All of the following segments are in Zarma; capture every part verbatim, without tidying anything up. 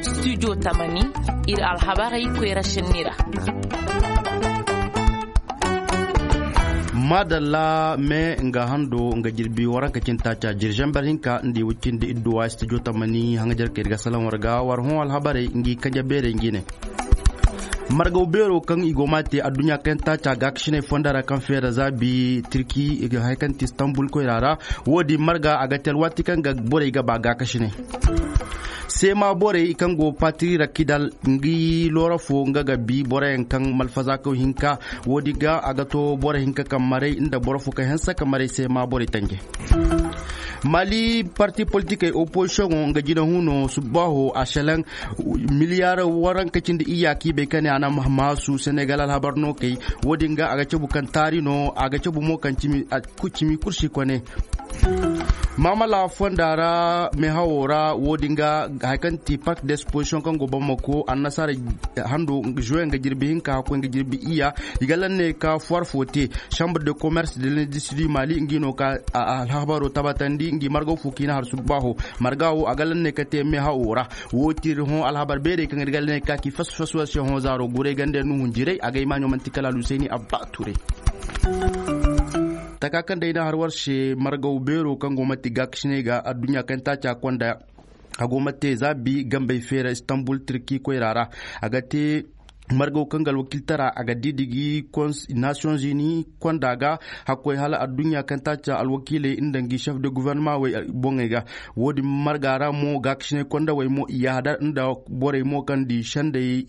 Studio tamani, iri alhabarey koyra sinni ra. Madalla me nga hando nga jirbi waranka cin taaca jirjamber hinka nda i wicindi idduwa studio tamani hanga jarka iri ga salaŋ war ga war hõ alhabarey ngi kanja beerey ngi ne. Margaw beero kaŋ i go ma te adduɲɲa kaŋ taaca gaakasiney fonda ra kaŋ feera zaabi tirki hari kaŋ ti istanbul koyra ra. Wo- din marga a ga te alwaati kaŋ ga borey ga ba gaakasiney. Seema borey kaŋ go patiri ra kidal ngi loora fo nga ga bi boroyaŋ kaŋ malfazaakaw hinka. Wo- din ga a ga to boro hinka kaŋ maray nda boro fo kaŋ hanse ka maray seema borey tanje. Mali parti politikey opozisiyoŋo nga jina huno subbaaho a selaŋ miliyaar waranka cindi iyya kaŋ i bay ka ne a na maasu senegal alhabar no kay. Wo- din ga a ga cabu kaŋ taari no a ga cabu mo kaŋ cimi kursi kone. Maamala fonda ra meehawo ra wo- din ga hari kaŋ ti park d'exposition kaŋ go bamako annasaara hando juwe nga jirbi hinka hakkoy nga jirbi iyya. I ga lanne ka fuwar fo te chambre de commerce de l'industrie du mali ngi no ka alhabaro tabatandi ngi margaw fo kiina har subbaaho. Marga wo a ga lanne ka te meehawo ra. Wo ti iri hõ alhabar beerey kaŋ iri ga lanne ka ki fasu fasu war se hõ zaaro guray ganda nuhun jiray a ga ay maaɲo manti kala alusayni abba turay. Taka kaŋ day na har war se margaw beero kaŋ go manti gaakasiney ga adduɲɲa kaŋ taaca konda. A go ma te zaabi gambey feera istanbul tirki koyra ra. A ga te margaw kaŋ ga alwakiltara a ga didigi nations unis konda ga. Hakkoy hala adduɲɲa kaŋ taaca alwakiiley nda ngi chef de gouvernement wey boŋey ga. Wo- din marga ra mo gaakasiney kondawey mo i yahadar nda borey mo kaŋ di sendey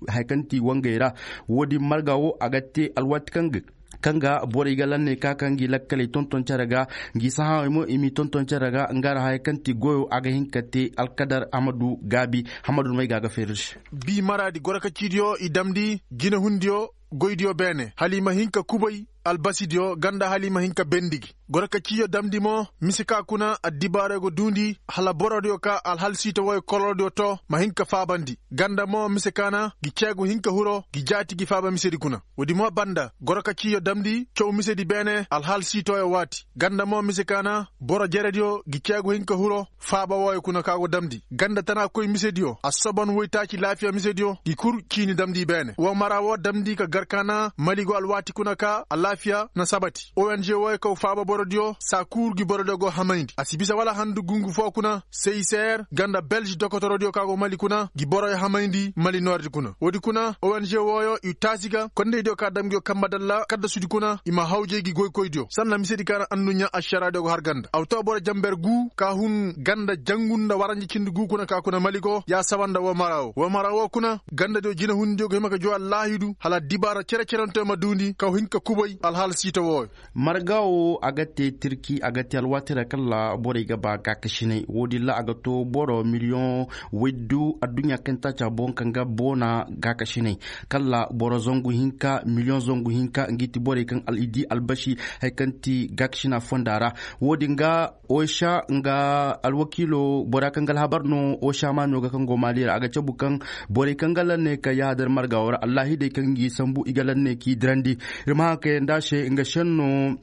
hari kaŋ ti wangey ra. Wo- din marga wo a ga te alwaati kaŋ ga kaŋ ga borey ga lanney ka kaŋ ga i lakkaley tonton care ga. Ngi sahaawey mo i m'i tonton care ga nga ra haya kaŋ ti goyo a ga hin ka te alkadar hamadu gaabi. Hamadu no may ga a ga feeri se. Bi maraadi goro ka ciidiyo i damndi jinehundiyo goydiyo beene hala i ma hin ka kubay albasidiyo ganda hala i ma hin ka bendigi. Goro ka ciiyo damndi mo mise ka kuna addibaarey go duundi hala borodiyo ka alhalsiito wooyo kolorodiyo to ma hin ka faabandi. Ganda mo mise ka na gi ceegu hin ka huro gi jaati gi faaba misedi kuna. Woodi mo banda goro ka ciiyo damndi caw misedi beene alhaal siitooyo waati ganda mo mise ka na boro jerediyo gi ceegu hin ka huro faaba wooyo kuna ka go damndi ganda tana koy misediyo a soban woytaaci laafiya misediyo gi kul ciini damndi beene wo mara wo damndi ka gar ka na mali go alwaati kuna ka alaafiya na sabati ong wooyo kaw faaba borodiyo saa kuuru gi borodiyo go hamayndi a si bisa wala handu gungu fo kuna seiser ganda belge dokotorodiyo ka go mali kuna gi boroyo hamayndi mali noordi kuna woodi kuna ong wooyo i taasi ga kondaydiyo ka dam nguyo kambe dalla kaddasudi kuna i ma hawjay gi goykoydiyo sanna misedi ka na anduɲɲa ašaraadiyo go har ganda a wa to boro jamber gu ka hun ganda jangu nda waranja cindi gu kuna ka kuna mali go ya sawa nda wo mara wo wo mara wo kuna gandadiyo jinehundiyo go hima ka juwa laahidu hala dibaara cere-ceranteyo ma duundi ka hin ka kubay alhaala siita wooyo. Marga wo a ga te tirki a ga te alwaati ra kala borey ga ba gaakasinay wo- din ra a ga to boro miliyoŋ waydu adduɲɲa kaŋ taaca boŋ kaŋ ga boona gaakasinay kala boro zangu hinka miliyoŋ zangu hinka nga i ti borey kaŋ i di albasi hari kaŋ ti gaakasina fonda ra. Wo- din ga osa nga alwakiilo bora kaŋ ga alhabar no osa maaɲo ga kaŋ go maali ra a ga cabu kaŋ borey kaŋ ga lanne ka yahadar marga wo ra allahidey kaŋ ga i sambu i ga lanne k'i dirandi. Iri ma haŋ ka yaŋ da se nga senno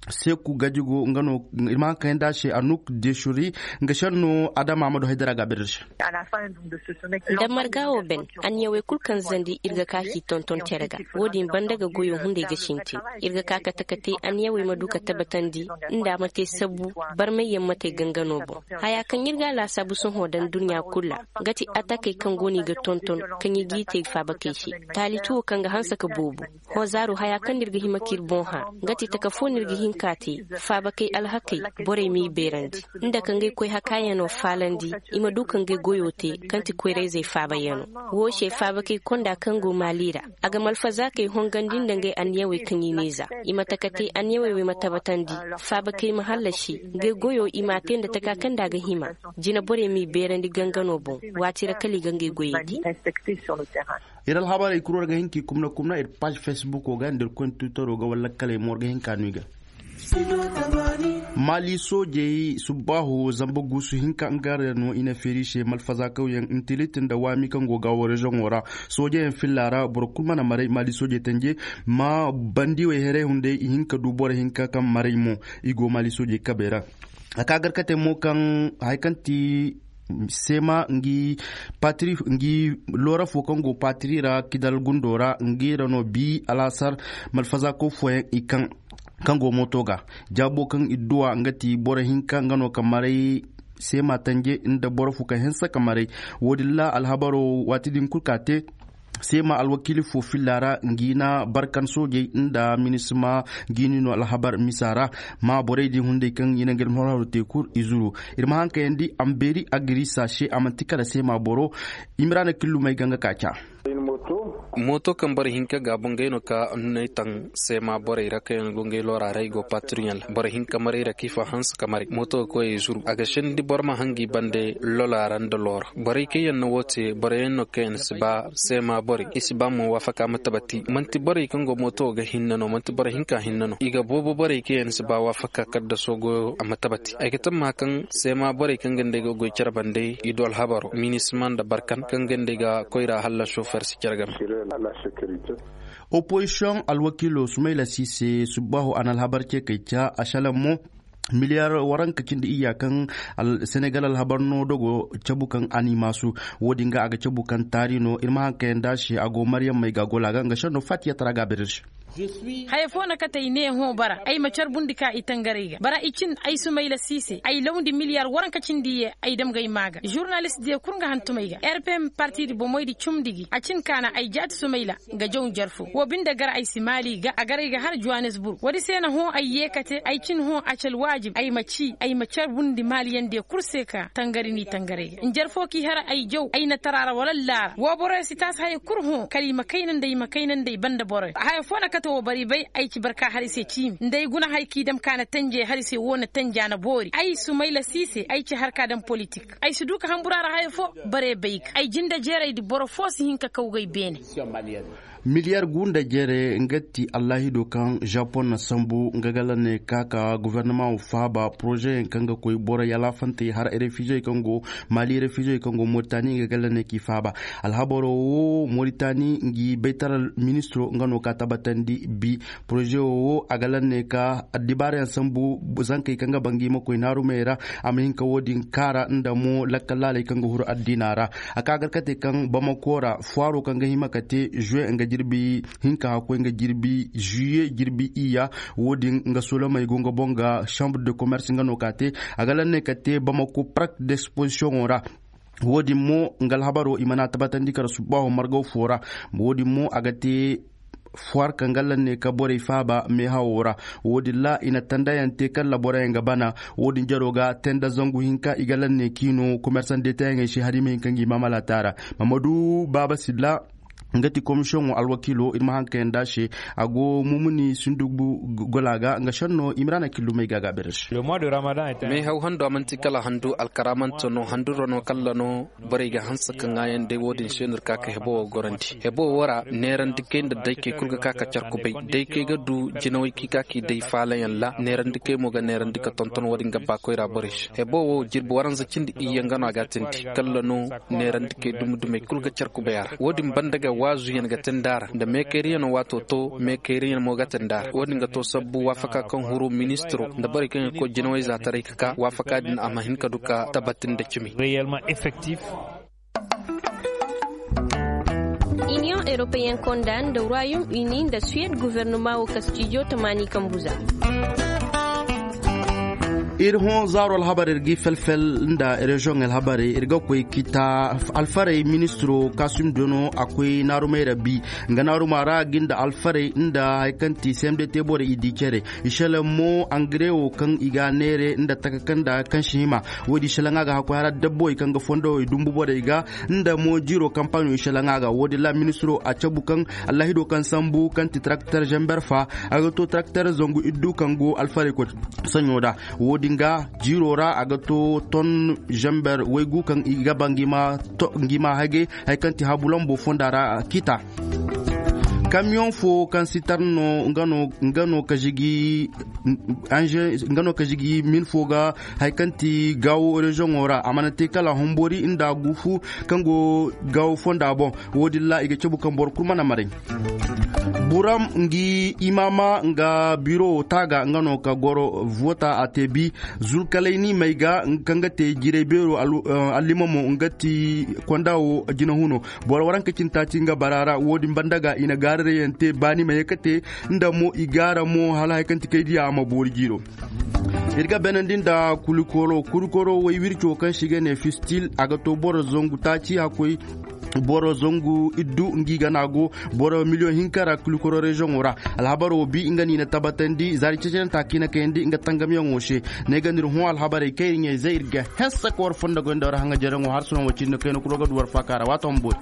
seeku gajigo nga no iri ma haŋ ka yaŋ da se anuk desuri nga senno adama ma du haydara ga a bere se. Nda marga wo ben anniyawey kulu kaŋ zandi iri ga ka k'i tonton care ga wo- din banda ga goyo hunday ga sintin iri ga ka kate-kate anniyawey ma du ka tabbatandi nda a ma te sabbu barmayyaŋ ma te gangano boŋ. Haya kaŋ iri ga a laasaabu sohõ daŋ durɲa kulu ra nga ti atakey kaŋ go no i ga tonton kaŋ i g'i te faabakey se taali tuwo kaŋ ga hanse ka boobo. Hõ zaaru haya kaŋ no iri ga hima k'iri boŋ hã nga ti taka fo no iri ga hin k'a te faabakey alhakey borey m'i beerandi nda ka ngey koy hakaayaŋo faalandi i ma du ka ngey goyo te kaŋ ti koyrayzey faabayaŋo. Wo se faabakey konda kaŋ go maali ra a ga malfazaakey hongandi nda ngey anniyawey kaŋ i n'i za i ma taka te anniyawey wo i ma tabbatandi faabakey ma hallasi ngey goyo i m'a te nda taka kaŋ nda a ga hima jina borey m'i beerandi gangano boŋ waati ra kala i ga ngey goyey te. Iri alhabarey kulu war ga hin k'i kumna kumna iri paazi facebook wo ga nda iri koyne twitero ga wala lakkaley mo war ga hin ka no i ga. Maali soojey subbaaho zamba guusu hinka nga ra no i na feeri se malfazaakawyaŋ intilit nda waami kaŋ go gaawo rezoŋo ra. Soojeyaŋ filla ra boro kulu mana maray maali soojey tanje ma bandiwey heray hunday i hin ka du boro hinka kaŋ maray mo. I go maali soojey kabey ra. A ka garkatey mo kaŋ hari kaŋ ti seema ngi patiri ngi loora fo kaŋ go patiri ra kidal gundo ra ngi ra no bi alaasar malfazako fooyaŋ i kaŋ kaŋ go mooto ga jaabo kaŋ i duwa nga ti boro hinka nga no ka maray seema tanje nda boro fo kaŋ hinsa ka maray. Wo- din ra alhabaro waati din kulu ka te seema alwakiili fo filla ra ngi na barkan soojey nda minisma ngi ni no alhabar misa ra. Ma borey din hunday kaŋ i na nga ni horharo te kulu i zuru. Iri ma haŋ kayandi ambeeri agirisa se a manti kala seema boro. Imiraana killumey ga nga ka ca. Mooto kaŋ boro hinka ga bangay no ka nunay taŋ seema borey ra kaŋ yaŋ go ngey loora ra i go patiriyaŋ ra boro hinka maray ra kaŋ i fa hanse ka maray mooto ga koy i zuru a ga sindi boro ma hangi bande lola ra nda loora. Borey kaŋ yaŋ na wo te boro yaŋ no kaŋ yaŋ si ba seema borey i si ba mo waafaka ma tabati manti borey kaŋ go mooto ga hinne no manti boro hinka hinne no i ga boobo borey kaŋ yaŋ si ba waafaka kaddaso goyo a ma tabati ay ga tamma kaŋ seema borey kaŋ ga nd'ey ga goy care bande i du alhabaro minisma nda barkan kaŋ ga nd'ey ga koyra halla sofer si care game. Opozisiyoŋ alwakiilo sumayla si se subbaahu a na alhabar ce kay ca a salaŋ mo miliyar waranka cindi iyya kaŋ senegal alhabar no dogo cabu kaŋ a n'i maasu. Wo-din ga a ga cabu kaŋ taari no iri ma haŋ kayanda se a go maryam may ga gola ga nga senno fatiya tara ga a beere se. Haya fo na kate ay ne hõ bara ay ma carbundi ka i tangaray ga bara i cin ay sumayla siise ay lawndi miliyar waranka cindi ye ay damgay maa ga zurnalist diya kulu nga hantumay ga rpm partidi bomoydi cumndi gi a cin kaana ay jaati sumayla nga jaw njarfo wo binde gar ay si maali ga a gar ay ga har johannesburg wo- din se na hõ ay ye kate ay cin hõ acal waajib ay ma ci ay ma carbundi maaliyaŋ diya kulu se ka tangari n'i tangaray ga njarfo k'i har ay jaw ay na tara ra wala laara wo boroyaŋ si taasi haya kulu hõ kala i ma kayna nda i ma kayna nda i banda boroyaŋ haya fo na kate wo boro i bay ay ci barka har i se ciimi nda ay guna hari kaŋ i dam ka na tanje har i se wo na tanja na boori ay sumayla siise ay ci har ka daŋ politik ay si du ka hambura ra haya fo. Bare bay ga ay jinde jeerey da boro fo si hin ka kaw ga ay beene. Miliyar gu nda jeere nga ti allahido kaŋ japon na sambu nga gala ne ka ka governement wo faaba poroze yaŋ kaŋ ga koy boro yalaafantey har refugey kaŋ go mali refugey kaŋ go moritani nga gala ne k'i faaba. Alhabaro wo moritani ngi baytaral ministiro nga no ka tabbatandi bi poroze wo a gala ne ka addibaarayaŋ sambu zankey kaŋ ga ba ngi ma koy naarumey ra a ma hin ka wo- din kaara nda mo lakkal laaley kaŋ ga huru addiina ra. A ka gar ka te kaŋ bamako ra fuwaaro kaŋ ga hima ka te juwe nga jirbi hinka hakkoy nga jirbi juye jirbi iyya. Wo- din nga solomey go nga boŋ ga chambre de commerce nga no ka te a ga lanney ka te bamako park d'exposition ra. Wo- din mo nga alhabaro i mana tabbatandi kara subbaaho margaw fo ra. Wo- din mo a ga te fuwar kaŋ ga lanney ka borey faaba meehawo ra. Wo- din ra i na tandayaŋ te kala boroyaŋ ga bana. Wo- din jaro ga te nda zangu hinka i ga lanney k'i no komersan detayaŋey se hari i ma hin ka ngi maamalaata ra. Mahamadu baaba silla nga ti komisiyoŋo alwakiilo iri ma haŋ kayanda se. A go mumuni sindugu gola ga nga senno imiraana killumey ga ga a beere se. Meehaw hando a manti kala handu alkaramante no handuro no kalla no. Borey ga hanse ka ŋaayaŋ day wo- din se no iri ka ka hebo wo gorandi hebo wo ra neerandi kay nda daykey kulu ga ka ka care kubay daykey ga du jinawey kaŋ i ka k'i day faalayaŋ ra neerandi kay mo ga neerandi ka tonton wo- din ga ba koyra borey se hebo wo jirbi waranza cindi iyye nga no a ga a tindi kalla no. Neerandi kay dumi dumey kulu ga care kubay a ra wo- din banda ga waazuyaŋ ga te nd'a ra nda meekayriyaŋo waato to meekayriyaŋo mo ga te nd'a ra wo- din ga to sabbu waafaka kaŋ huru ministiro nda borey kaŋ ga koy jinawey za taray ka ka waafaka din a ma hin ka du ka tabbatindi cimi. Iniyoŋ europeyyen konda nda royaume uni nda suwed guvernoma wo kastijo tamaani kambu za. Iri hõ zaaro alhabar iri ga i fel-fel nda reziyoŋ alhabarey iri ga koy kita alfarey ministiro kaasum dono a koy naarumey ra bi. Nga naaruma ra ga nda alfarey nda hari kaŋ ti cmd te borey i di care i selaŋ mo angare wo kaŋ i ga a neere nda taka kaŋ nda kaŋ si hima. Wo- din selaŋ a ga hakkoy hara dabbo i kaŋ ga fondo i dumbu borey ga nda mo jiiro kampaano i selaŋ a ga wo- din ra ministiro a cabu kaŋ allahido kaŋ sambu kaŋ ti tarakter zamber fa a ga to tarakter zangu iddu kaŋ go alfarey koy saɲo da. Wo- din ga jiiro ra a ga to ton zamber waygu kaŋ i ga ba ngi ma hagay hari kaŋ ti habu lambo fonda ra kita. Kamiyoŋ fo kaŋ si tar no nga no ka zigi Nga no ka zigi min fo ga hari kaŋ ti gaawo reziyoŋo ra a mana te kala humbori nda gufu kaŋ go gaawo fonda boŋ. Wo- din ra i ga cabu kaŋ boro kulu mana maray. Buram ngi imaama nga biro wo taaga nga no ka goro voota a te bi zulkalay ni may ga kaŋ ga te jiray beero allimamo nga ti konda wo jina huno. Boro waranka cine taaci nga bara ra wo- din banda ga i na gaararayyaŋ te baani ma ye ka te nda mo i gaara mo hala hari kaŋ ti kay diya a ma boori jiiro. Iri ga beenandi nda kulikoro kulikoro way wirco kaŋ se i ga ne fistil a ga to boro zangu taaci hakkoy. Boro zangu iddu nga i gana go boro miliyoŋ hinka ra kulikoro reziyoŋo ra. Alhabaro bi nga no i na tabbatandi zaari cecenanta kaŋ i na kayandi nga tangamyaŋo se. Ne ga no iri hõ alhabarey kaŋ iri ɲayzey iri ga hessa ka war fondo goy nda war haŋajeeraŋo harsunaŋo cindi kayna kulu ga du war faaka ra waato ma boori.